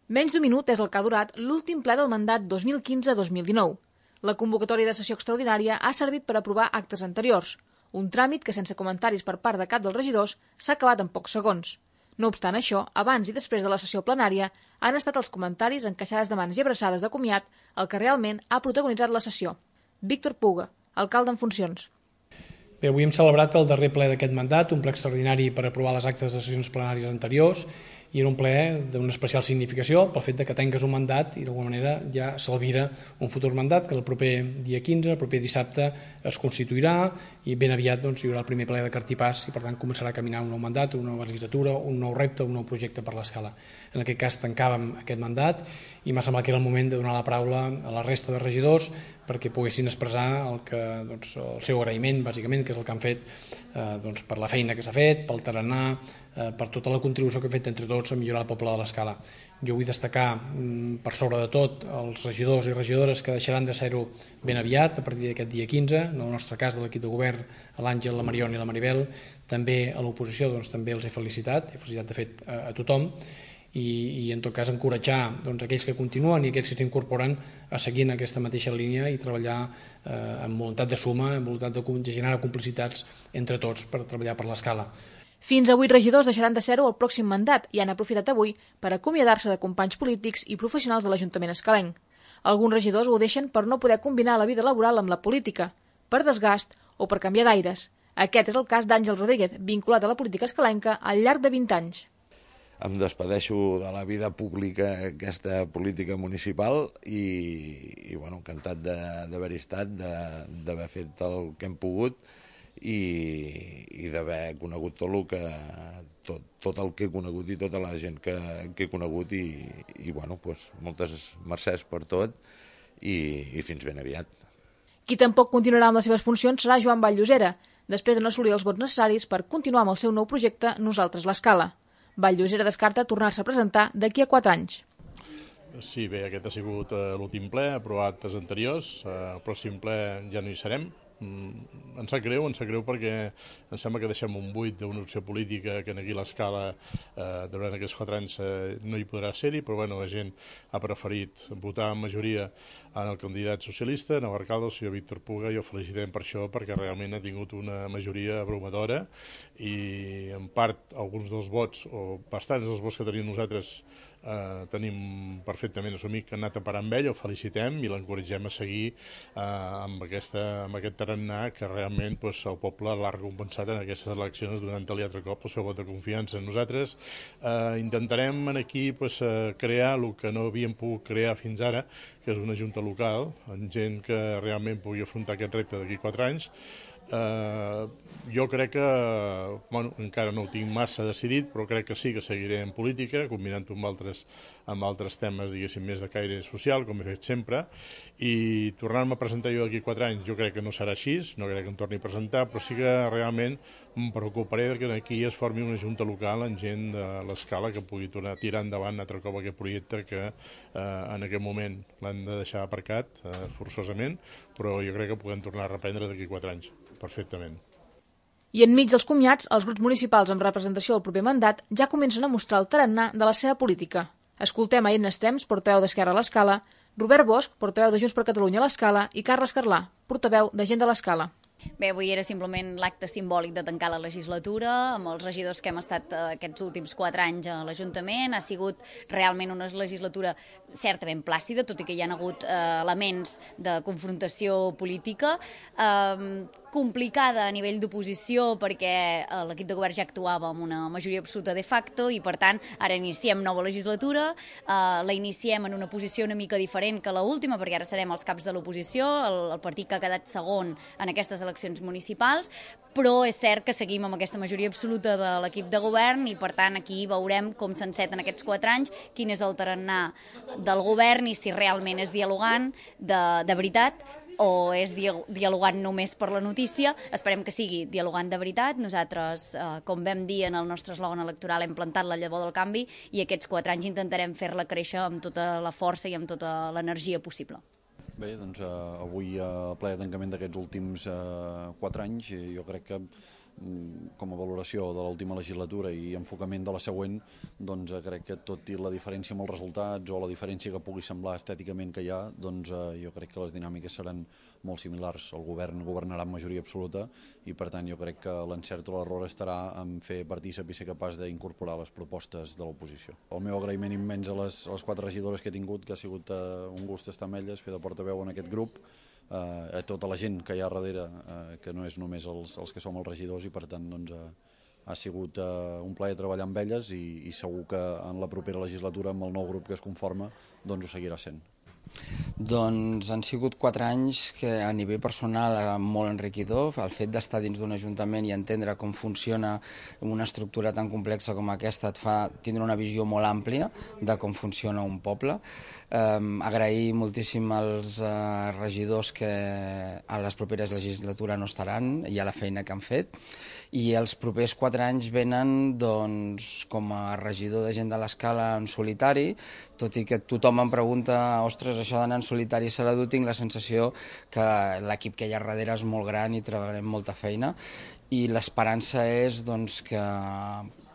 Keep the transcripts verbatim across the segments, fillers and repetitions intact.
Menys d'un minut és el que ha durat l'últim ple del mandat dos mil quinze dos mil dinou. La convocatòria de sessió extraordinària ha servit per aprovar actes anteriors, un tràmit que sense comentaris per part de cap dels regidors s'ha acabat en pocs segons. No obstant això, abans i després de la sessió plenària han estat els comentaris, encaixades de mans i abraçades de comiat el que realment ha protagonitzat la sessió. Víctor Puga, alcalde en funcions. Bé, avui hem celebrat el darrer ple d'aquest mandat, un ple extraordinari per aprovar les actes de sessions plenàries anteriors, i era un ple d'una especial significació pel fet de que tengues un mandat i d'alguna manera ja s'albira un futur mandat que el proper dia quinze, el proper dissabte, es constituirà i ben aviat doncs, hi haurà el primer ple de cartipàs i per tant començarà a caminar un nou mandat, una nova legislatura, un nou repte, un nou projecte per l'Escala. En aquest cas tancàvem aquest mandat i m'ha semblat que era el moment de donar la paraula a la resta de regidors perquè poguessin expressar el, que, doncs, el seu agraïment, bàsicament, que és el que han fet eh, doncs, per la feina que s'ha fet, pel tarannà, eh, per tota la contribució que hem fet entre tots a millorar el poble de l'Escala. Jo vull destacar, mm, per sobre de tot, els regidors i regidores que deixaran de ser-ho ben aviat, a partir d'aquest dia quinze, en el nostre cas de l'equip de govern, l'Àngel, la Mariona i la Maribel, també a l'oposició doncs, també els he felicitat, he felicitat de fet a, a tothom, i, i en tot cas encoratjar doncs, aquells que continuen i aquells que s'incorporen a seguir en aquesta mateixa línia i treballar eh, amb voluntat de suma, amb voluntat de, de generar complicitats entre tots per treballar per l'Escala. Fins a vuit regidors deixaran de ser-ho el pròxim mandat i han aprofitat avui per acomiadar-se de companys polítics i professionals de l'Ajuntament escalenc. Alguns regidors ho deixen per no poder combinar la vida laboral amb la política, per desgast o per canviar d'aires. Aquest és el cas d'Àngel Rodríguez, vinculat a la política escalenca al llarg de vint anys. Em despedeixo de la vida pública, aquesta política municipal, i, i bueno, encantat d'haver-hi estat, d'haver fet el que hem pogut i, i d'haver conegut tot el que tot, tot el que he conegut i tota la gent que, que he conegut i, i bueno, doncs, moltes mercès per tot i, i fins ben aviat. Qui tampoc continuarà amb les seves funcions serà Joan Vall-llosera, després de no assolir els vots necessaris per continuar amb el seu nou projecte Nosaltres l'Escala. Vall-llosera descarta tornar-se a presentar d'aquí a quatre anys. Sí, bé, aquest ha sigut uh, l'últim ple, aprovat els anteriors. Uh, el pròxim ple ja no hi serem. Mm, em sap greu, em sap greu perquè em sembla que deixem un buit d'una opció política que aquí l'Escala eh, durant aquests quatre anys eh, no hi podrà ser-hi, però bueno, la gent ha preferit votar en majoria en el candidat socialista, en l'alcalde, el senyor Víctor Puga, i ho felicitem per això perquè realment ha tingut una majoria abrumadora i en part alguns dels vots, o bastants dels vots que tenim nosaltres eh, tenim perfectament assumit que han anat a parar amb ell, ho felicitem i l'encoratgem a seguir eh, amb, aquesta, amb aquest tarannà que realment pues, el poble l'ha recompensat en aquestes eleccions donant-li altre cop el seu vot de confiança. Nosaltres eh, intentarem aquí pues, eh, crear el que no havíem pogut crear fins ara, que és una junta local, amb gent que realment pugui afrontar aquest repte d'aquí quatre anys. Uh, jo crec que, bueno, encara no ho tinc massa decidit, però crec que sí que seguiré en política, combinant-ho amb altres, amb altres temes, diguéssim, més de caire social, com he fet sempre, i tornar-me a presentar jo d'aquí quatre anys, jo crec que no serà així, no crec que em torni a presentar, però sí que realment em preocuparé que aquí es formi una junta local amb gent de l'Escala que pugui tornar a tirar endavant altre cop aquest projecte que eh, en aquest moment l'han de deixar aparcat eh, forçosament, però jo crec que podem tornar a reprendre d'aquí quatre anys. Perfectament. I enmig dels comiats, els grups municipals amb representació del proper mandat ja comencen a mostrar el tarannà de la seva política. Escoltem a Edna Estrems, portaveu d'Esquerra a l'Escala, Robert Bosch, portaveu de Junts per Catalunya a l'Escala, i Carles Carlà, portaveu de Gent de l'Escala. Bé, avui era simplement l'acte simbòlic de tancar la legislatura amb els regidors que hem estat eh, aquests últims quatre anys a l'Ajuntament. Ha sigut realment una legislatura certament plàcida, tot i que hi ha hagut eh, elements de confrontació política, eh, complicada a nivell d'oposició perquè eh, l'equip de govern ja actuava amb una majoria absoluta de facto i, per tant, ara iniciem nova legislatura, eh, la iniciem en una posició una mica diferent que l'última, perquè ara serem els caps de l'oposició, el, el partit que ha quedat segon en aquestes eleccions municipals, però és cert que seguim amb aquesta majoria absoluta de l'equip de govern i, per tant, aquí veurem com s'enceten aquests quatre anys, quin és el tarannà del govern i si realment és dialogant de, de veritat o és dialogant només per la notícia. Esperem que sigui dialogant de veritat. Nosaltres, eh, com vam dir en el nostre eslògan electoral, hem plantat la llavor del canvi i aquests quatre anys intentarem fer-la créixer amb tota la força i amb tota l'energia possible. Bé, doncs eh, avui, a ple de tancament d'aquests últims eh, quatre anys, jo crec que com a valoració de l'última legislatura i enfocament de la següent, doncs crec que tot i la diferència amb els resultats o la diferència que pugui semblar estèticament que hi ha, doncs jo crec que les dinàmiques seran molt similars. El govern governarà amb majoria absoluta i per tant jo crec que l'encert o l'error estarà en fer partícip i ser capaç d'incorporar les propostes de l'oposició. El meu agraïment immens a les, a les quatre regidores que he tingut, que ha sigut uh, un gust estar amb elles, fer de portaveu en aquest grup, uh, a tota la gent que hi ha darrere, uh, que no és només els, els que som els regidors i per tant doncs, uh, ha sigut uh, un plaer treballar amb elles i, i segur que en la propera legislatura amb el nou grup que es conforma doncs ho seguirà sent. Doncs han sigut quatre anys que a nivell personal molt enriquidor. El fet d'estar dins d'un ajuntament i entendre com funciona una estructura tan complexa com aquesta et fa tindre una visió molt àmplia de com funciona un poble. Um, agrair moltíssim als uh, regidors que a les properes legislatures no estaran i a la feina que han fet. I els propers quatre anys venen doncs, com a regidor de gent de l'Escala en solitari, tot i que tothom em pregunta, ostres, això d'anar en solitari serà dur, tinc la sensació que l'equip que hi ha darrere és molt gran i treballarem molta feina i l'esperança és doncs, que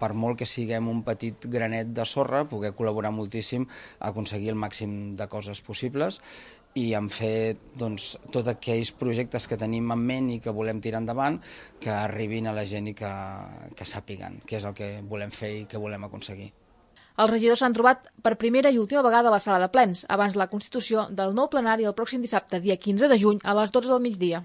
per molt que siguem un petit granet de sorra, poder col·laborar moltíssim a aconseguir el màxim de coses possibles i en fer doncs, tots aquells projectes que tenim en ment i que volem tirar endavant, que arribin a la gent i que, que sàpiguen què és el que volem fer i què volem aconseguir. Els regidors s'han trobat per primera i última vegada a la sala de plens, abans de la constitució del nou plenari el pròxim dissabte, dia quinze de juny, a les dotze del migdia.